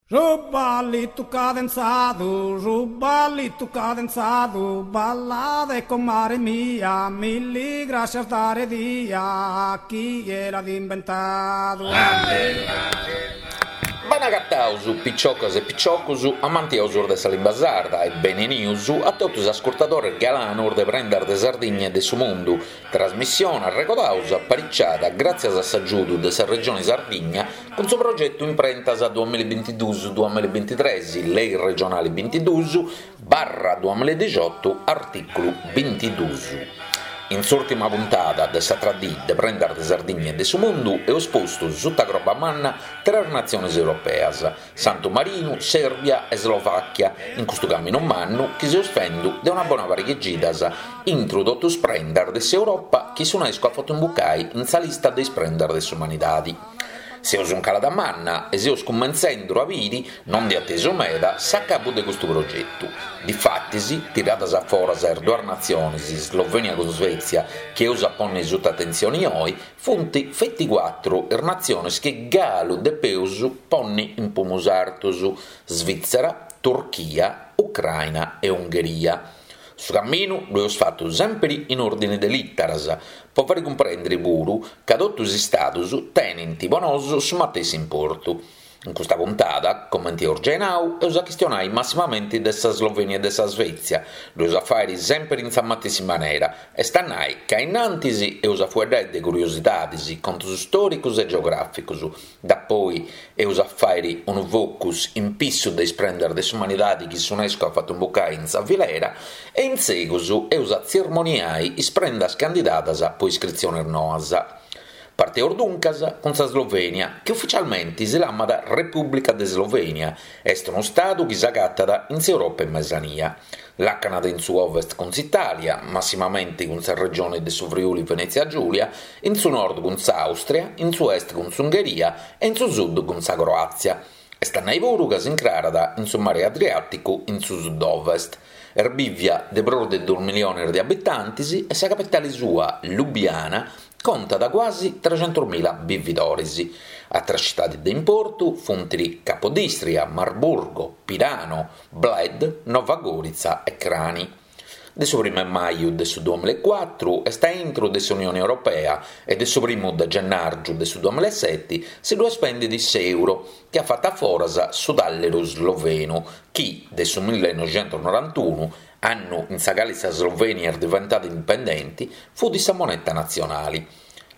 Su ballitu cadenzadu, su ballitu cadenzadu, ballade comare mia, milli grascias dare dia, chie l'at imbentadu. Bene agataus, piciocas e piciocus amantiosus de sa limba sarda e benenius a totu is ascurtadores galanus de Prendas de Sardigna e de su Mundu, Trasmissione, arregodaus, apariciada gràtzias a s'agiudu de sa Regioni Sardigna cun su progetu Imprentas duamillabintiduus duamillabintitres, Lei regionali bintiduus barra duamilladixotu, artìculu bintiduus. In s'ùrtima puntada de s'atra dì de Prendas de Sardigna e de su Mundu eus postu suta croba manna tres natziones europeas, Santu Marinu, Sèrbia e Slovàchia, in custu caminu mannu chi seus fendu de una bona pariga 'e cidas intru totu is prendas de s'Europa chi s'Unesco at fatu imbucai in sa lista de is prendas de s'umanidadi. Seus in calada manna e seus cumentzendu a biri, non de atesu meda, s'acabu de custu progetu. Difatis, tiradas a foras is duas natziones, Slovènia cun Svètzia, chi eus a ponni suta atentzioni oi, Funt feti cuatru is natziones chi galu depeus ponni in pumus artus, Svìtzera, Turchia, Ucraina e Ungheria. Su caminu ddu eus fatu sèmpiri in òrdini de lìteras, po fai cumprèndiri puru ca totu is istadus tenint po nosu su matessi importu. In custa puntada, comenti eus giai nau, eus a chistionai massimamenti de sa Slovenia e de sa Svezia, ddu eus a fàiri sèmpiri in sa matessi manera, est a nai ca innantis eus a fueddai de curiosidadis, contus stòricus e geogràficus, dapoi eus a fàiri unu focus in pissu de is prendas de s'umanidadi chi s'Unesco at fatu imbucai in sa filera e in segus eus a tzirmoniai is prendas candidadas po iscritzionis noas. Parteus duncas cun sa Slovènia, chi ufitzialmenti si lamat Repùblica de Slovènia, est unu stadu chi s'agatat in s'Europa 'e Mesania. Làcanat in su ovest cun s'Itàlia, massimamenti cun sa regioni de su Friuli Venètzia Giùlia, in su nord cun s'Àustria, in su est cun s'Ungheria e in su sud cun sa Croàtzia. Est a nai puru ca s'incrarat in su mari Adriàticu in su sud-ovest. Est bìvia de prus de duus millionis de abitantis e sa capitali sua, Lubiana, contat cuasi trexentusmila bividoris. Atras citadis de importu funt Capodistria, Marburgo, Pirano, Bled, Nova Gorica e Kranj. De su primu 'e maju de su duamillaecuatru est a intru de s'Unioni Europea e de su primu de gennàrgiu de su duamillaeseti si ddu spendit s'euro, chi at fatu a foras su tàlleru slovenu chi, de su millenoixentusnorantunu, annu in sa cali sa Slovènia est diventada indipendenti, fut sa moneta natzionali.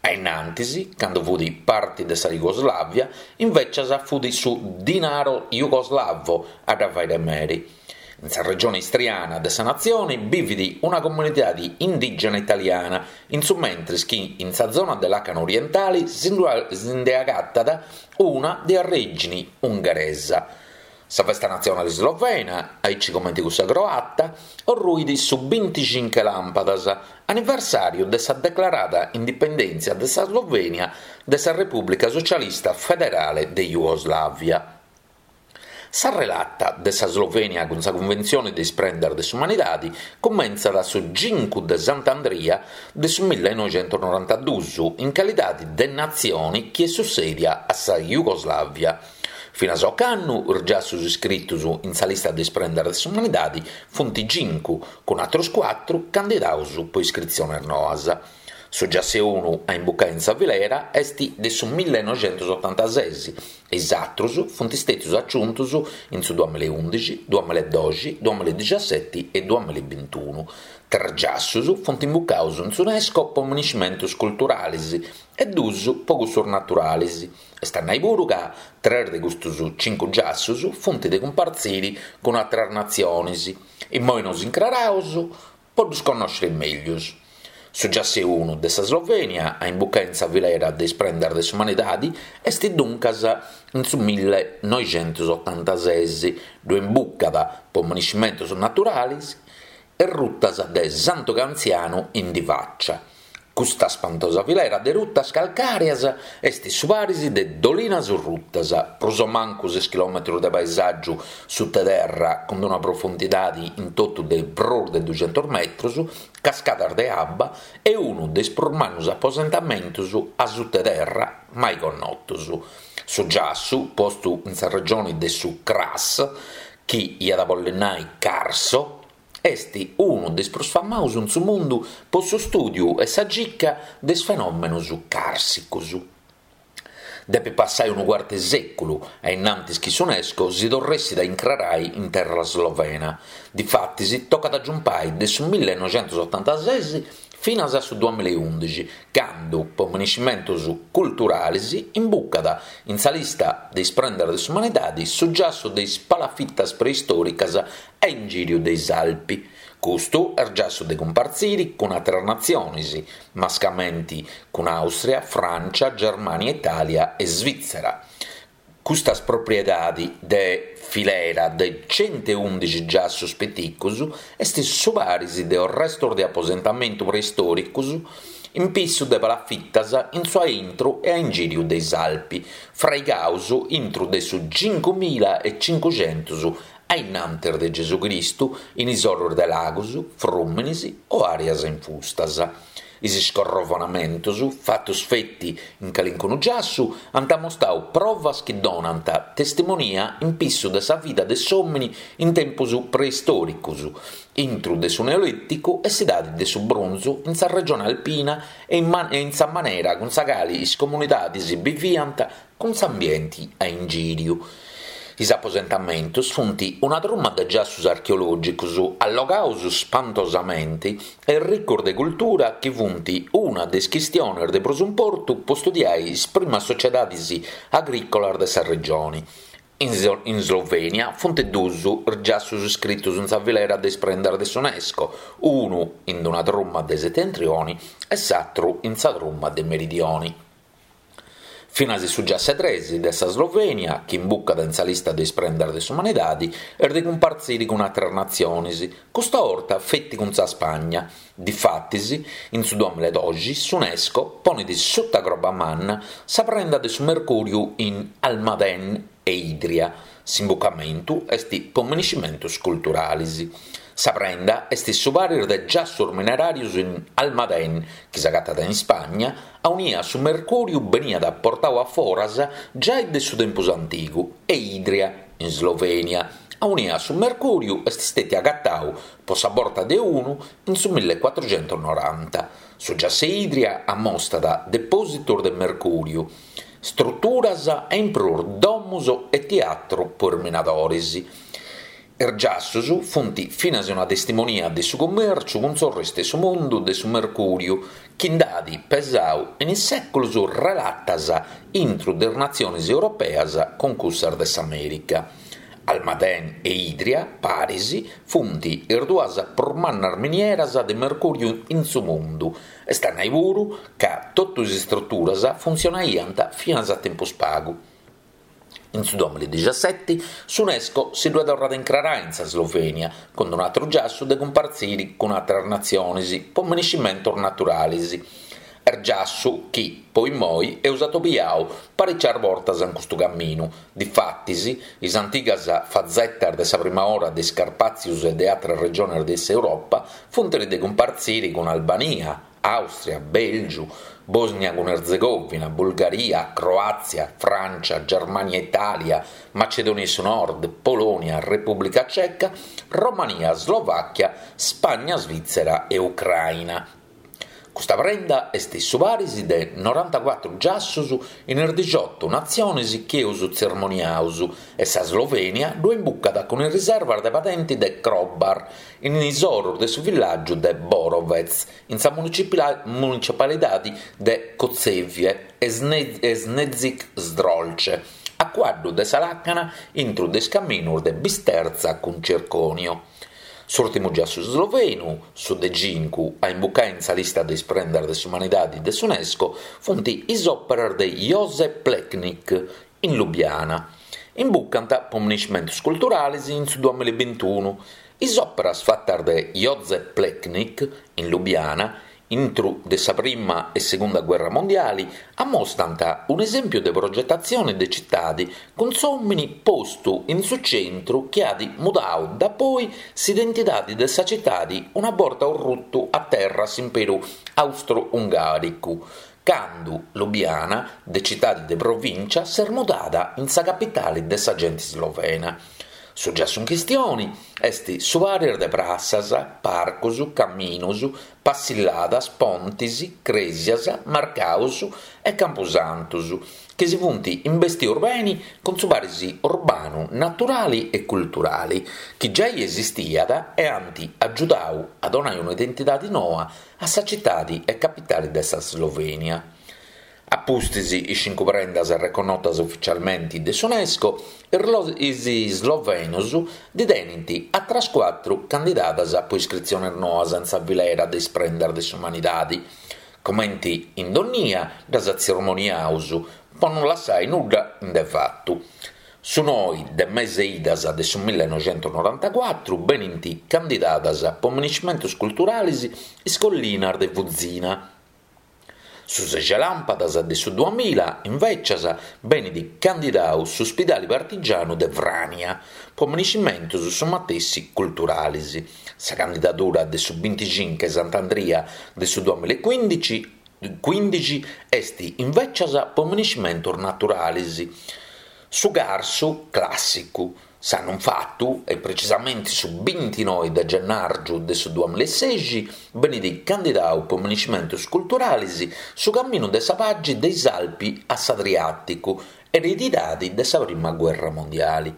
A innantis, candu fut parti de sa Jugoslàvia, invècias fut su dinaro jugoslavo a dda fai de meri. In sa regione istriana de sa natzione bivit una comunidadi indìgena italiana, in su mentris chi in sa zona de làcana orientali si nde agatat una de arrègini ungheresa. Sa festa natzionale slovena, aici comente cussa croata, orruit su binticinche làmpadas, anniversàriu de sa declarada indipendèntzia de sa Slovènia de sa Repùblica Socialista Federale de Jugoslàvia. Sa relata de sa Slovènia cun sa Cunventzione de is Prendas de s'Umanidade cumentzat su cincu de Sant'Andria de su millenoixentusnorantaduus in calidade de natzione chi est sussèdia a sa Jugoslàvia. Finas a ocannu is giassus iscritus in sa lista de is prendas de s'umanidadi funt cincu, cun atrus cuatru candidaus po iscritziones noas. Su giassu 'e unu a imbucai in sa filera est de su millenoixentusotantases e is atrus funt stètius aciuntus in su duamillaeundixi, duamillaedoxi, duamillaedixaseti e duamillabintunu. Tres giassus funt imbucaus in s'Unesco po miniscimentus culturalis e dus po cussus naturalis. Est a nai puru ca tres de custus cincu giassus funt de cumpartziri cun atras natzionis. Immoi nos incraraus po ddus connòsciri meglius. Su giassu 'e unu de sa Slovènia a imbucai in sa filera de is prendas de s'umanidadi est duncas in su millenoixentusotantases, ddu imbucat po miniscimentus naturalis is rutas de Santu Cantzianu in Divàccia. Custa spantosa filera de rutas calcàreas est su paris de Dolinas Rutas, prus o mancu ses chilòmetrus de paesàgiu suta terra cun una profundidadi in totu de prus de duxentus metrus, cascadas de abba e unu de is prus mannus aposentamentus a suta terra mai connotus. Su giassu, postu in sa regioni de su Kras, chi iat a bolli nai Carso, est unu de is prus famaus in su mundu po su stùdiu e sa circa de is fenòmenus càrsicus. Depit passai unu cuartu 'e sèculu a innantis chi s'Unesco si torressit a incrarai in terra slovena. Difatis tocat a giumpai de su millenoixentusotantases finas a su duamilaeundixi, candu, po miniscimentus culturalis, imbucat in sa lista de is prendas de s'umanidadi su giassu de is palafitas preistòricas a ingìriu de is Alpi. Custu est giassu de cumpartziri cun àteras natzionis, mascamenti cun Àustria, Frància, Germània, Itàlia e Svìtzera. Custas propriedadi de filera de centeundixi giassus piticus est su paris de orrestus de aposentamentu preistòricus in pissu de palafitas in su aintru e a ingìriu de is Alpi, fraigaus intru de su cincumila e cincuxentus a innantis de Gesù Cristu in is orus de lagus, frùminis o àreas infustas. Is scorrovonamentus, fatus feti in calincunu giassu, ant amostau provas chi donant testimonia in pissu de sa vida de s'òmini in tempus preistòricus, intru de su Neolìticu e s'idadi de su Brunzu in sa regione alpina e in sa manera cun sa cali is comunidadis biviant cun s'ambienti a ingìriu. Is aposentamentus funt una truma de giassus archeològicus allogaus spantosamenti e ricus de cultura chi funt una de is chistiones de prus importu po studiai is primas sociedadis agrìcolas de sa regioni. In Slovènia funt duus is giassus iscritus in sa filera de is prendas de s'Unesco, unu in una truma de setentrioni e s'atru in sa truma de meridioni. Finas su giassu 'e tres de sa Slovènia, chi imbucat in sa lista de is prendas de s'umanidadi, est de cumpartziri cun àteras natziones, custa 'orta feti cun sa Spagna. Difatis, in su duamilaedoxi s'Unesco ponet suta croba manna sa prenda de su mercùriu in Almadén e Idria. S'imbucamentu est po miniscimentus culturalis. Sa prenda est su paris de giassus mineràrius in Almadén, chi s'agatat in Spagna, aunia su mercùriu beniat portau a foras giai de su tempus antigu, e Idria, in Slovènia, aunia su mercùriu est stètiu agatau po sa borta de unu in su millecuatruxentusnoranta. Su giassu 'e Idria amostat depòsitus de mercùriu, Struturas e in prus domus e tiatru po is minadoris. Is giassus funt finas una testimonia de su cummèrciu cun s'orrestu 'e su mundu de su mercùriu chi nd'at pesau in is sèculus relatas intru de is natzionis europeas cun cussas de s'Amèrica. Almadén e Idria, paris, funt is duas prus mannas minieras de mercùriu in su mundu Est a nai puru ca totu is istruturas funtzionaiant finas a tempus pagu. In su duamiladixaseti s'Unesco si ddue torrat a incrarai in sa Slovènia cun un'atru giassu de cumpartziri cun atras natzionis po miniscimentus naturalis. Est giassu chi, po immoi, eus atobiau paricias bortas in custu caminu. Difatis, is antigas fazetas de sa prima ora de is Carpàtzius e de atras regiones de s'Europa Funt de cumpartziri cun Albania, Àustria, Bèlgiu, Bòsnia cun Erzegòvina, Bulgaria, Croàtzia, Frància, Germània Itàlia, Macedònia 'e su Nord, Polònia, Repùblica Ceca, Romania, Slovàchia, Spagna, Svìtzera e Ucràina. Custa prenda est su paris de norantacuatru giassus in is dixiotu natzionis chi eus tzermoniaus e sa Slovènia ddu imbucat cun is riservas de padenti de Krobar in is orus de su villàgiu de Borovec in sa municipalidadi de Kočevje e Snežnik Zdrolce a cuaddu de sa làcana intru de is caminus de Bisterza cun Circonio. S'ùrtimu giassu slovenu, su de cincu a imbucai in sa lista de is prendas de s'umanidadi de s'Unesco, funt is òperas de Jože Plečnik in Lubiana. Imbucant po miniscimentus culturalis in su duamilla e bintunu. Is òperas fatas de Jože Plečnik in Lubiana Intru de sa prima e segunda guerra mondiali amostant un'esèmpiu de progetatzione de citadi cun s'òmini postu in su centru chi at mudau dapoi s'identidadi de sa citadi una borta orrutu a terra s'imperu austro-ungàricu. candu Lubiana, de citadi de provìncia, s'est mudada in sa capitali de sa genti slovena. Su giassu in chistioni est su paris de prassas, parcus, caminus, passilladas, pontis, crèsias, marcaus e campusantus, chi si funt imbestius beni cun su paris urbanu, naturali e culturali chi giai esistiat e ant agiudau a donai un'identidadi noa a sa citadi e capitali de sa Slovenia. A pustis is cincu prendas reconnotas uficialmenti de s'Unesco, is islovenus ndi tenint atras cuatru candidadas po iscritzionis noas in sa filera de is prendas de s'umanidadi. Comenti in donnia ddas tzermoniaus po non lassai nudda in de fatu. Su noi de mese idas de su millenoixentonorantacuatru benint candidadas po miniscimentus culturalis is collinas de Fuzina. Su sexi làmpadas de su duamilla, invècias, benit candidau su Spidali Partigianu de Frània po miniscimentus su matessi culturalis. Sa candidadura de su binticincu 'e Sant'Andria de su duamilla e cuindixi cuindixi est invècias po miniscimentus naturalis. Su Carsu clàssicu. S'annu infatu, e precisamenti su bintinoi de gennàrgiu de su duamilla e sexi, benit candidau po miniscimentus culturalis su Caminu de sa Pagi de is Alpi a s'Adriàticu, eredidadi de sa Prima Guerra Mondiali.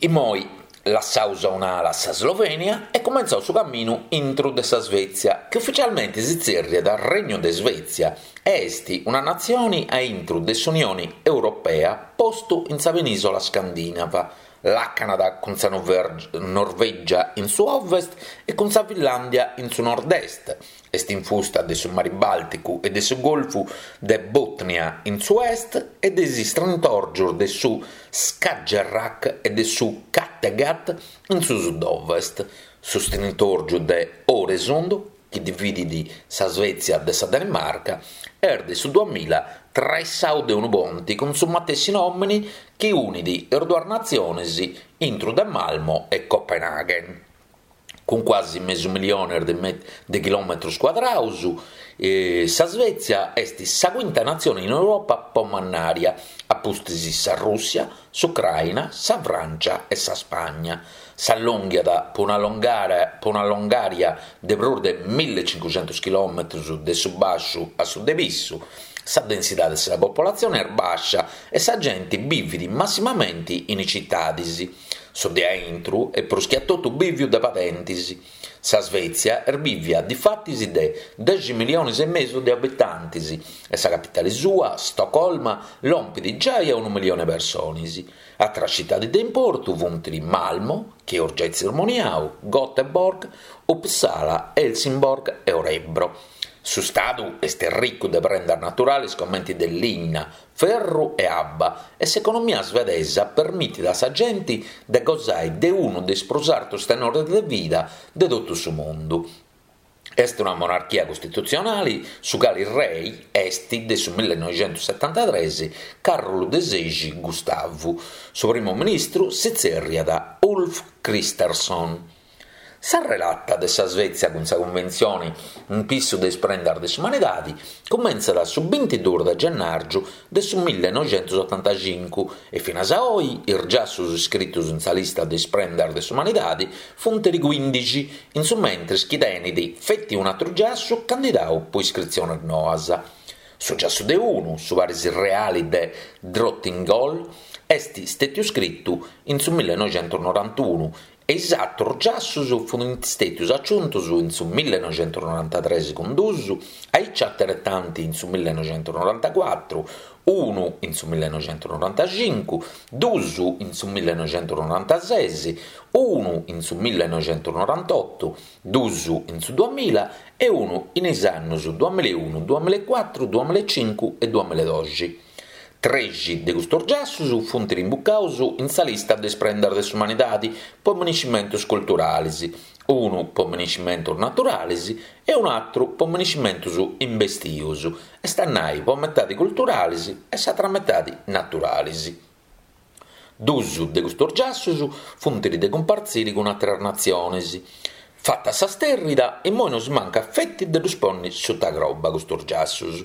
Immoi lassaus a un'ala sa Slovenia e cumentzaus su caminu intru de sa Svezia, chi uficialmenti si tzerriat Regnu de Svezia e est una natzioni a intru de s'Unioni Europea postu in sa penisola scandinava, làcanat cun sa Norvègia in su ovest e cun sa Finlàndia in su nord-est, Est infusta de su Mari Bàlticu e de su Golfu de Botnia in su est e de is istrintòrgios de su Skagerrak e de su Kattegat in su sud-ovest. Su strintòrgiu de Øresund, chi dividit sa Svètzia de sa Danimarca, est de su duamilla traessadu de unu ponti cun su matessi nòmene chi unit is duas natziones intru de Malmö e Copenaghen. Cun cuasi mesu millione de chilòmetros cuadrados, sa Svètzia est sa cuinta natzione in Europa po mannària, a pustis sa Rùssia, s'Ucraina, sa Frància e sa Spagna. S'allònghiat po una po una longària de prus de millecincuxentos chilòmetros de su bàsciu a su de pissu. Sa densidade de sa popolatzione est bàscia e sa gente bivit massimamenti in is citadis. Su de aintru est prus che a totu bìviu de padentis. Sa Svètzia est bìvia difatis de dexi miliones e mesu de abitantis e sa capitale sua, Stocolma, lompit giai a unu milione 'e persones. Atras citadis de importu funt Malmö, chi eus giai tzermoniau, Göteborg, Uppsala, Helsingborg e Örebro. Su stadu est ricu de prendas naturales comenti de linna, ferru e abba, e s'economia svedesa permitit a sa genti de gosai de unu de is prus artus tenores de vida de totu su mundu. Est una monarchia costitutzionali, su cali rei est de su millenoixentussetantatres Càrulu de sexi Gustavu. Su primu ministru si tzerriat Ulf Kristersson. Sa relata de sa Svètzia cun sa Cunventzione in pissu de is prendas de s'umanidadi cumentzat su bintiduus de gennàrgiu de su millenoixentusotantacincu e finas a oi is giassus iscritus in sa lista de is prendas de s'umanidadi funt cuindixi, in su mentris chi tenit feti un'atru giassu candidau po iscritziones noas. Su giassu de unu, su paris reali de Drottningholm, est stètiu scritu in su millenoixentusnorantunu E is atrus giassus funt stètius aciuntus in su millenoixentusnorantatres cun dus, aici ateretanti in su millenoixentusnorantacuatru, unu in su millenoixentusnorantacincu, dus in su millenoixentusnorantases, unu in su millenoixentusnorantotu, dus in su duamilla e unu in is annus duamillaeunu, duamillaecuatru, duamillaecincu e duamillaedoxi. Trexi de custus giassus funt rimbucaus in sa lista de is prendas de s'umanidadi po miniscimentus culturalis, unu po miniscimentus naturalis e un'atru po miniscimentus imbestius, est a nai po metadi culturalis e s'atra metadi naturalis. Dus de custus giassus funt de cumpartziri cun àteras natziones. Fata sa sterrida, immoi nosi mancat feti de ddus ponni suta croba custus giassus.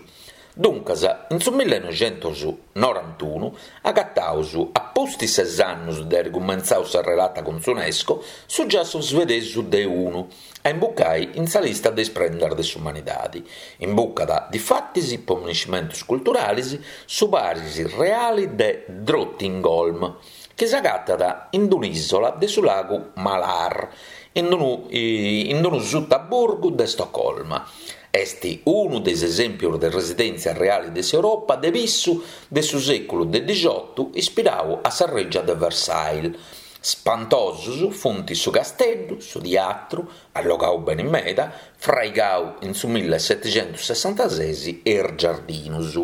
Duncas, in su millenoixentusnorantunu agataus, a pustis ses annus de airi cumentzau sa relata cun s'Unesco, su giassu svedesu de unu a imbucai in sa lista de is prendas de s'umanidadi. Imbucat, difatis, po miniscimentus culturalis, su paris reali de Drottningholm, chi s'agatat in un'ìsola de su lagu Mälar, in unu in unu sutaburgu de Stocolma. Est unu de is esèmpios de residèntzia reale de s'Europa de pissu de su sèculu de dixotu ispirau a sa règia de Versailles. Spantosus funt su casteddu, su tiatru, allogau beni meda, fraigau in su millesetixentussessantases e is giardinus.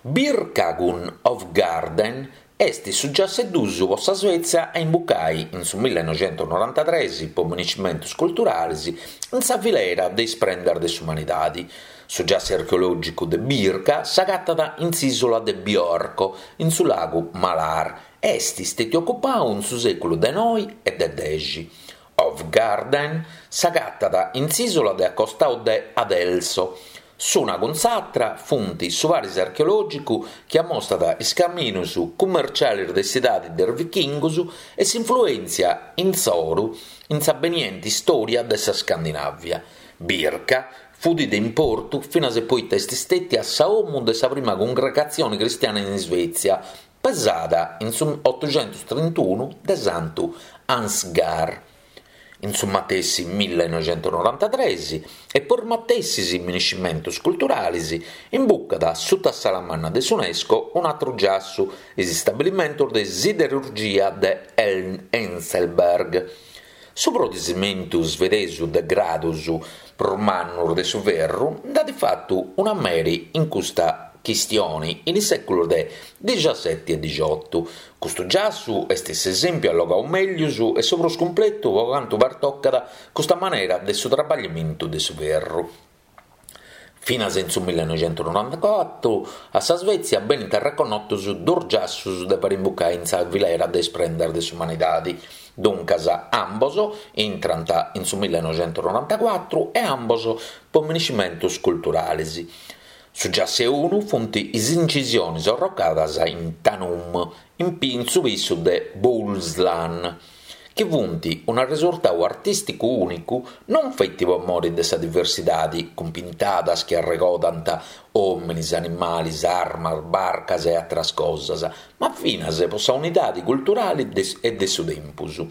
Birka cun Hovgården est su giassu 'e dus po sa Svezia a imbucai in su millenoixentusnorantatres po miniscimentus culturalis in sa filera de is prendas de s'umanidadi. Su giassu archeològicu de Birka s'agatat in s'ìsula de Björkö, in su lagu Mälar, e est stètiu ocupau in su sèculu de noi e de dexi. Hovgården s'agatat in s'ìsula de a costau de Adelsö. S'una cun s'atra funt su paris archeològicu chi ammostat is caminus cummercialis de s'idadi de is vichingus e s'influèntzia insoru in sa benienti istòria de sa Scandinàvia. Birka fut de importu finas e poita est stètia sa 'omu de sa prima cungregatzioni cristiana in Isvètzia, pesada in su otuxentustrintunu de Santu Ansgar. In su matessi millenoixentusnorantatres, e po is matessis miniscimentus culturalis, imbucat suta s'ala manna de s'Unesco un'atru giassu, is istabilimentus de siderurgia de Enselberg. Su produsimentu svedesu de gradus prus mannus de su ferru nd'at fatu una meri in custa chistioni in is sèculus de dixaseti e dixotu. Custu giassu est s'esèmpiu allogau mèglius e su prus cumpletu po cantu pertocat custa manera de su trabagliamentu de su ferru. Finas in su millenoixentusnorantacuatru a sa Svezia benint arreconnotus duus giassus de fari imbucai in sa filera de is prendas de s'umanidadi. Duncas ambos intrant in su millenoixentusnorantacuatru e ambos po miniscimentus culturalis. Su giassu 'e unu funt is incisionis orrocadas in Tanum, in su pissu de Bohuslän, chi funt un'arresurtau artìsticu ùnicu non feti po mori de sa diversidadi, cun pintadas chi arregodant òminis, animalis, armas, barcas e àteras cosas, ma finas po sa unidadi culturali e de su tempus.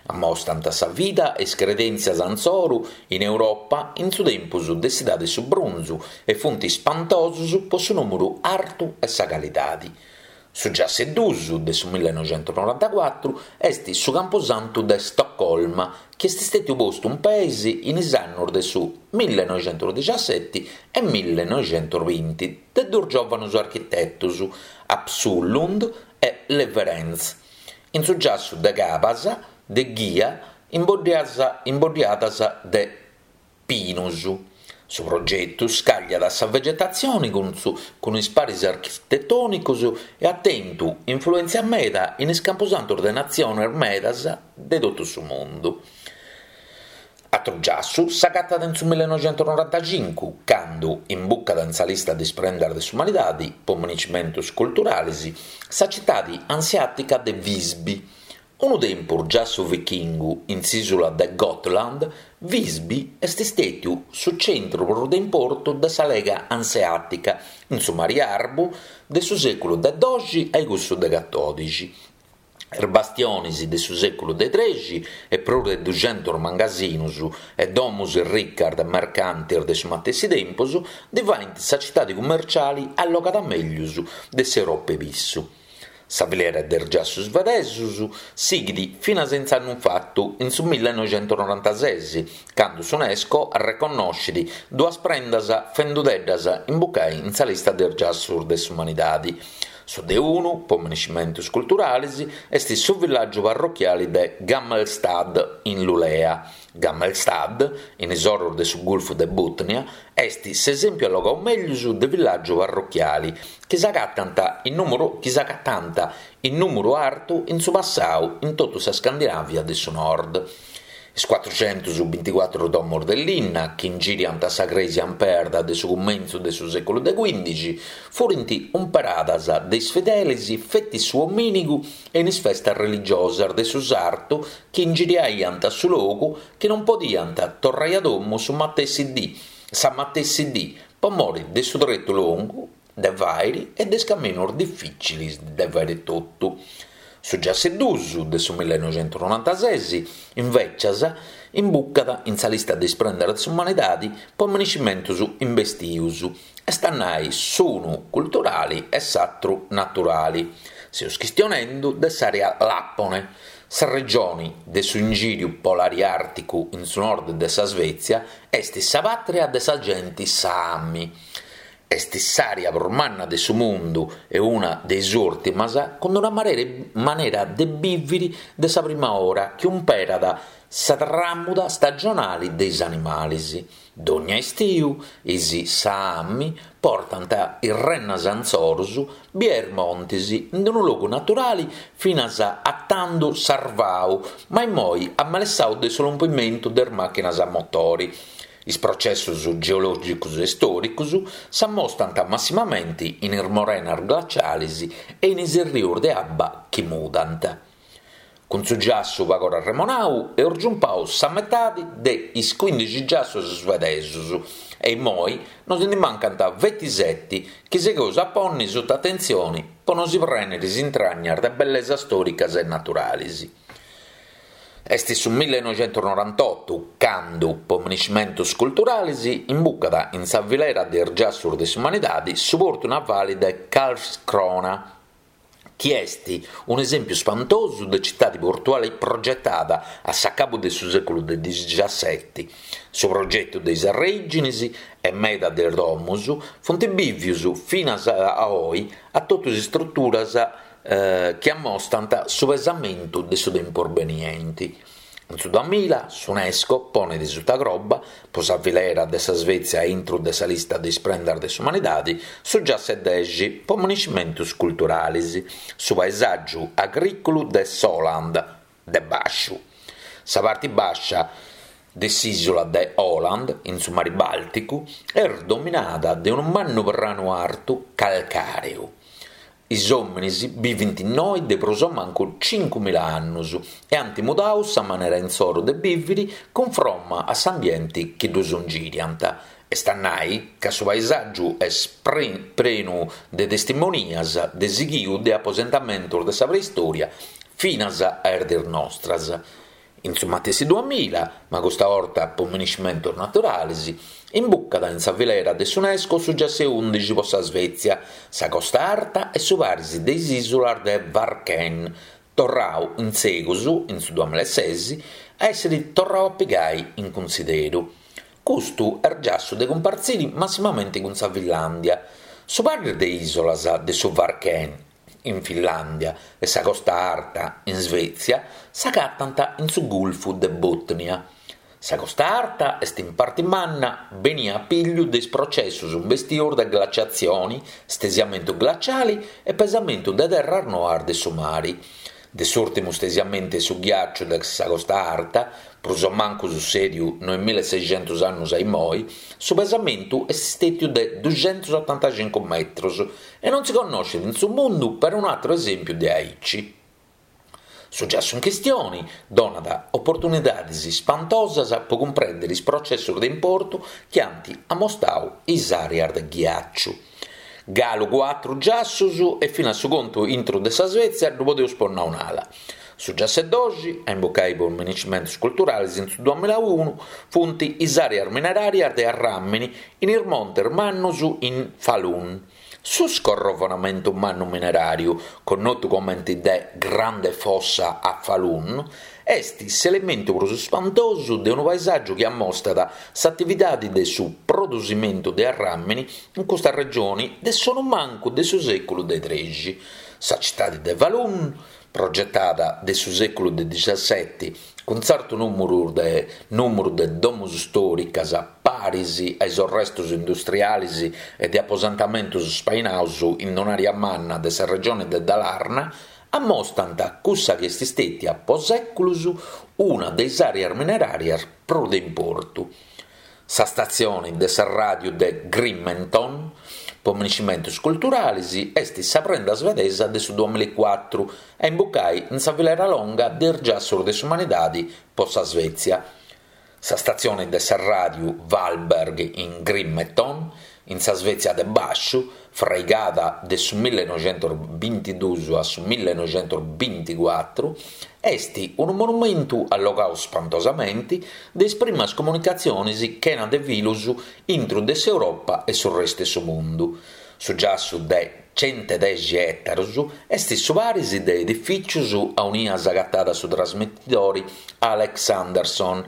Ammostant sa vida e is credèntzias insoru in Europa in su tempus de s'idadi 'e su brunzu e funt ispantosus po su nùmuru artu e sa calidadi. Su giassu 'e dus de su millenoixentusnorantacuatru est su Campusantu de Stoccolma chi est stètiu postu in peis in is annus de su millenoixentusdixaseti e millenoixentusbinti de duus giòvanus architetus, Absolund e Lewerentz. In su giassu de Cabas de ghia imboddiadas de pinus. Su progetu scagliat sa vegetatzione cun su cun is paris architetònicos e at tentu influèntzia meda in is campusantos de natziones medas de totu su mundu. Atru giassu s'agatat in su millenoixentusnorantacincu, candu imbucat in sa lista de is prendas de s'umanidadi po miniscimentus culturalis sa citadi ansiàtica de Visby. Unu tempus giassu vichingu in s'ìsula de Gotland, Visby est stètiu su centru prus de importu de sa Lega Anseàtica in su Mari Arbu de su sèculu de doxi a cussu de catòdixi. Is bastionis de su sèculu de trexi e prus de duxentus mangasinus e domus ricas de mercantis de su matessi tempus ndi faint sa citadi cummerciali allogada mellus de s'Europa 'e pissu. Sa filera de is giassus svedesus sighit finas in s'annu infatu, in su millenoixentusnorantases, candu s'Unesco arreconnoscit duas prendas fendudeddas imbucai in sa lista de is giassus de s'umanidadi. Su de unu, po miniscimentus culturalis, est su villàgiu parrochiali de Gammelstad in Lulea. Gammelstad, in is orus de su Gulfu de Botnia, est s'esèmpiu allogau mellus de villàgiu parrochiali chi s'agatant in nùmuru chi s'agatànt in nùmuru artu in su passau in totu sa Scandinàvia de su Nord. Is cuatruxentus-binticuatru domos de linna chi ingiriant sa crèsia in perda de su cumentzu de su sèculu de cuìndixi furint umperadas de is fidelis feti su omìnigu e in is festas religiosas de su sartu chi ingiriaiant su logu chi non podiant torrai a domu su matessi dì sa matessi dì po mori de su tretu longu de fàiri e de is caminus difìcilis de fàiri totu. Su giassu dus de su millenoixentusnorantasès, invècias, imbucat in sa lista de is prendas de s'umanidadi po miniscimentus imbestius, est a nai s'unu culturali e s'atru naturali. Seus chistionendu de s'àrea Làpone, sa regioni de su ingìriu polari àrticu in su nord de sa Svezia, est sa pàtria de sa genti Saami. Est s'àrea prus manna de su mundu e una de is ùrtimas cun una manera de bìviri de sa prima ora chi umperat sa tràmuda stagionali de is animalis. Dònnia istiu is Saami portant is rennas insorus bia is montis in unu logu naturali finas a tandu sarvau ma immoi amelessau de su lompimentu de is màchinas a motori. Is processus geològicus e stòricus s'ammostant massimamenti in is morenas glacialis e in is errius de abba chi mudant. Cun su giassu pagora arremonau eus giumpau sa metadi de is cuindixi giassus svedesus e immoi nos ndi mancant feti seti chi sigheus a ponni suta atentzioni po nosi prèniri is intragnas de bellesas stòricas e naturalis. Est su millenoixentusnorantotu candu, po miniscimentus culturalis, imbucat in sa filera de is giassus de s'umanidadi su portu navali de Karlskrona, chi est un'esèmpiu spantosu de citadi portuali progetada a s'acabu de su sèculu de dixiaseti. Su progetu de is arrèiginis e meda de is domus funt bìvius finas a oi a totu is struturas chi ammostant su pesamentu de su tempus benienti. In su duamilla s'Unesco ponet suta croba, po sa filera de sa Svezia intru de sa lista de is prendas de s'umanidadi, su giassu 'e dexi po miniscimentus culturalis, su paesàgiu agrìculu de s'Åland de bàsciu. Sa parti bàscia de s'ìsula de Åland, in su mari Bàlticu, est dominada de unu mannu pranu artu calcàreu. Is òminis bivint innoi de prus o mancu cincumila annus e ant mudau sa manera insoru de bìviri cunfromma a s'ambienti chi ddus ingiriant. Est a nai ca su paesàgiu est prenu de testimonias de sighiu de aposentamentus de sa preistòria finas a is diis nostras. In su matessi duamila, ma custa 'orta po miniscimentus naturalis, imbucat in sa filera de s'Unesco su giassu 'e undixi po sa Svezia, sa Costa Arta e su paris de is ìsulas de Kvarken, torrau in segus, in su duamila e ses, a èssiri torrau a pigai in cunsideru. Custu est giassu de cumpartziri massimamenti cun sa Finlàndia. Su paris de ìsulas de su Kvarken in Finlàndia, e sa Costa Arta, in Svezia, s'agatant in su Gulfu de Botnia. Sa Costa Arta est in parti manna benia a pillu de is processus imbestius de glaciatzioni, stesiamentu glaciali e pesamentu de terras noas de su mari. De s'ùrtimu stesiamentu 'e su ghiàciu de sa Costa Arta, prus o mancu sussèdiu noemilaseixentus annus a immoi, su pesamentu est stètiu de duxentusotantacincu metrus e non si connoscit in su mundu perunu àteru esèmpiu de aici. Su giassu in chistioni donat oportunidadis spantosas po cumprèndiri is processus de importu chi ant amostau is àreas de ghiàciu. Galu cuatru giassus e finas su contu intru de sa Svezia ddu podeus ponni a un'ala. Su giassu 'e doxi, a imbucai po miniscimentus culturalis in su duamilaunu, funt is àreas mineràrias de arràmini in is montes mannus in Falun. Su scorrovonamentu mannu mineràriu, connotu comenti de Grande Fossa a Falun, est s'elementu prus spantosu de unu paesàgiu chi ammostat s'atividadi de su produsimentu de arràmini in custa regioni de sonumancu de su sèculu de trexi. Sa citadi de Falun, progetada de su sèculu de dixaseti cun tzertu nùmuru de nùmuru de domus stòricas paris a is orrestus industrialis e de aposentamentus spainaus in un'àrea manna de sa regione de Dalarna. ammostant cussa chi est stètia po sèculus una de is àreas mineràrias prus de importu. Sa statzioni de sa ràdiu de Grimeton, po miniscimentus culturalis, est sa prenda svedesa de su duamillaecuatru a imbucai in sa filera longa de is giassus de s'umanidadi po sa Svezia. Sa statzioni de sa ràdiu Vallberg in Grimeton, in sa Svezia de Bàsciu, fraigada de su millenoixentusbintiduus a su millenoixentusbinticuatru, est unu monumentu allogau spantosamenti de is primas comunicatzionis chena de filus intru de s'Europa e su restu 'e su mundu. Su giassu de centedexi ètarus est su paris de edifìcius aunia s'agatat su trasmitidori Alex Anderson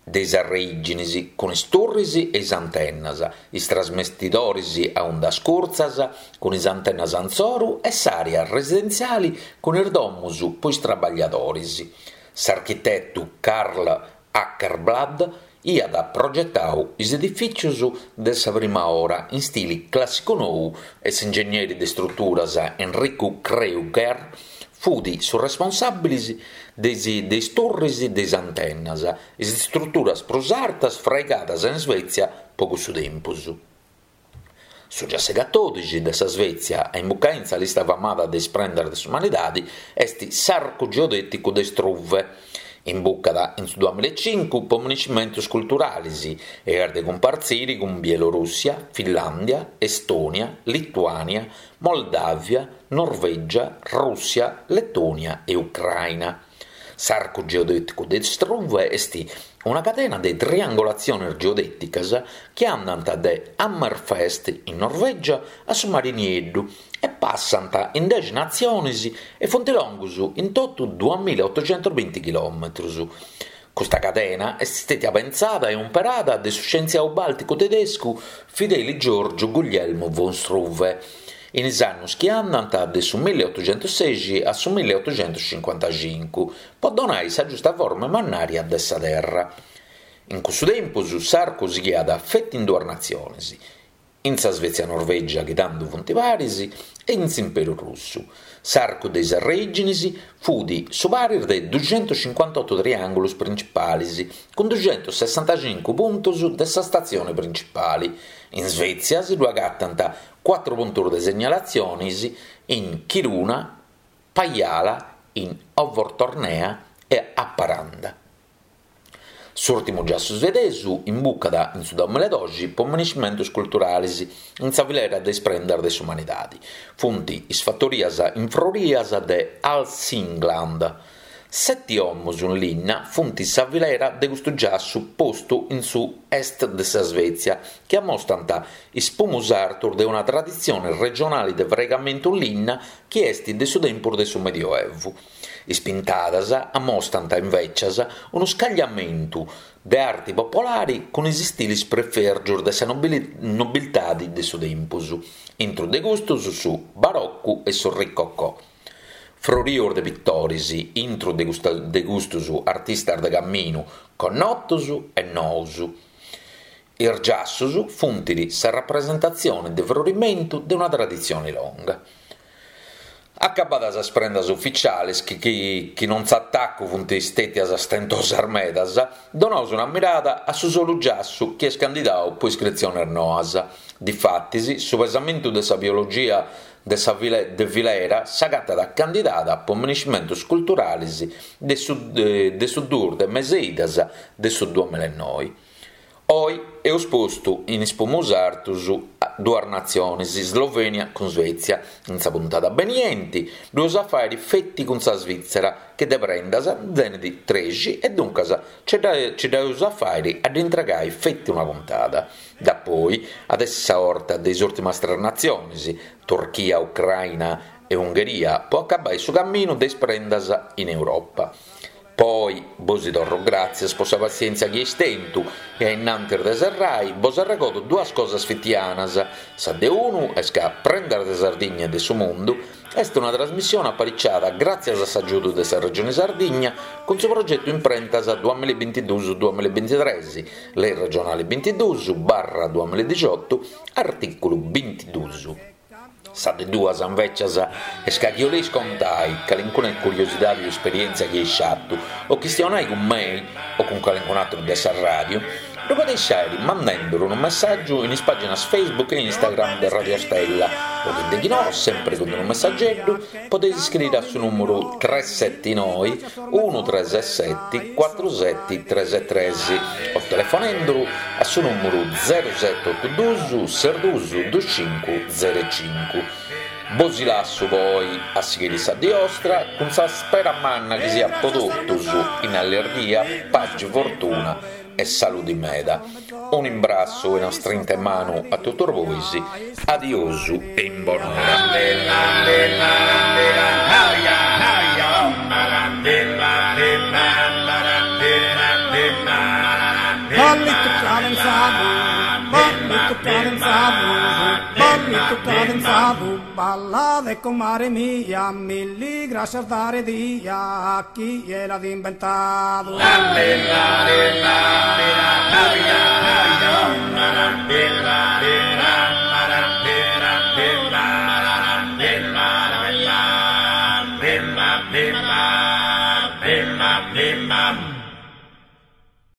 de is arreìginis, cun is turris e is antennas, is trasmitidoris a undas curtzas, cun is antennas antzoru e s'àrea residentziali cun is domus po is trabagliadoris. S'architetu Carl Åkerblad iat progetau is edifìcius de sa prima ora in stili clàssicu nou e s'ingegneri de struturas Enrico Kreuger fut su responsàbilis de is turris de is antennas, is struturas prus artas fraigadas in Svezia po cussu tempus. Su giassu 'e catòdixi de sa Svezia a imbucai in sa lista famada de is prendas de s'umanidadi est s'Arcu geodèticu de Struve. Imbucat in su duamillaecincu po miniscimentus culturalis e est de cumpartziri cun Bielorùssia, Finlàndia, Estònia, Lituània, Moldàvia, Norvègia, Rùssia, Letònia e Ucraina. S'arcu geodèticu de Struve est una cadena de triangolatziones geodèticas chi andant de Hammerfest in Norvègia a su Mari Nieddu e passant in dexi natziones e funt longus in totu duamillaotoxentosbinti chilòmetrus. Custa cadena est stètia pentzada e umperada de su scientziau bàlticu tedescu Fideli Giorgiu Guglielmo von Struve in is annus chi andant de su milliotoxentussexi a su milliotoxentuscincuantacincu po donai sa giusta forma e mannària de sa Terra. In cussu tempus s'arcu sighiat feti in duas natziones, in sa Svezia-Norvegia chi tandu funt paris e in s'Imperu Russu. S'arcu de is arrèiginis fut su paris de duxentuscincuantotu triàngulus principalis cun duxentussessantacincu puntus de sa statzioni principali. In Svezia si ddu agatant cuatru puntus de segnalatzionis in Kiruna, Pajala, in Övertornea e Haparanda. S'ùrtimu giassu svedesu imbucat in su duamillaedoxi po miniscimentus culturalis in sa filera de is prendas de s'umanidadi. Funt is fatorias infrorias de Hälsingland. Seti 'omus in linna funt sa filera de custu giassu postu in su est de sa Svezia chi ammostant is pumus artus de una traditzione regionali de fraigamentu in linna chi est de su tempus de su Medioevu. Is pintadas ammostant invècias unu scagliamentu de arti popolari cun is istilis prefèrgius de sa nobiltadi de su tempus, intru de custus su Barocu e su Ricocò. Frorius de pitoris intru de custus artistas de caminu connotus e nous. Is giassus funt sa rapresentatzione de frorimentu de una traditzione longa. Acabadas sas prendas uficiales, chi chi non s'atacu funt stètias stentosas medas, donaus una mirada a su solu giassu chi est candidau po iscritziones noas. Difatis, su pesamentu de sa biologia de sa de filera s'agatat candidada po miniscimentus culturalis de su de su duus de mes'e idas de su duamillaenoi. Oi eus postu in is pumus artus duas natziones, Slovenia cun Svezia. In sa puntada benienti ddu eus a fàiri feti cun sa Svitzera, chi de prendas tenit trexi e duncas nci dda eus a fàiri a dd'intregai feti una puntada. Dapoi at essi sa 'orta de is ùrtimas tres natziones, Turchia, Ucraina e Ungheria, po acabai su caminu de is prendas in Europa. Po oi bosi torro gràtzias po sa passièntzia chi eis tentu e a innantis de serrai bos arregodo duas cosas fitianas, sa de unu est ca Prendas de Sardigna e de su Mundu est una trasmissione apariciada gràtzias a s'agiudu de sa Regione Sardigna cun su progetu Imprentas duamillabintiduus duamillabintitres, Lei regionale bintiduus barra duamilladixiotu, artìculu bintiduus. Sa de duas, invècias, est ca chi 'oleis contai calincuna curiosidadi o esperièntzia chi eis fatu, o chistionai cun mei o cun calincun'atru de sa ràdiu, ddu podeis fàiri mandenduru unu messàgiu in is pàginas Facebook e Instagram de Radio Stella o chi deghinò, sempri cun unu messageddu, podeis iscriri a su nùmuru tres seti noi unu tres seti cuatru seti tres tres o telefonenduru a su nùmuru zeru seti otu dus ses dus dus cincu zeru cincu. Bosi lassu po oi a sighiri sa dì 'ostra cun sa spera manna chi siat po totus in allirghia, paxi, fortuna e saludi meda. Unu imbrassu e una strinta 'e manu a totus bois, adiosu e in bonora. Ballitu cadenzadu, ballitu cadenzadu, ballitu cadenzadu, ballade comare mia, milli grascias dare dia, chie l'at imbentadu.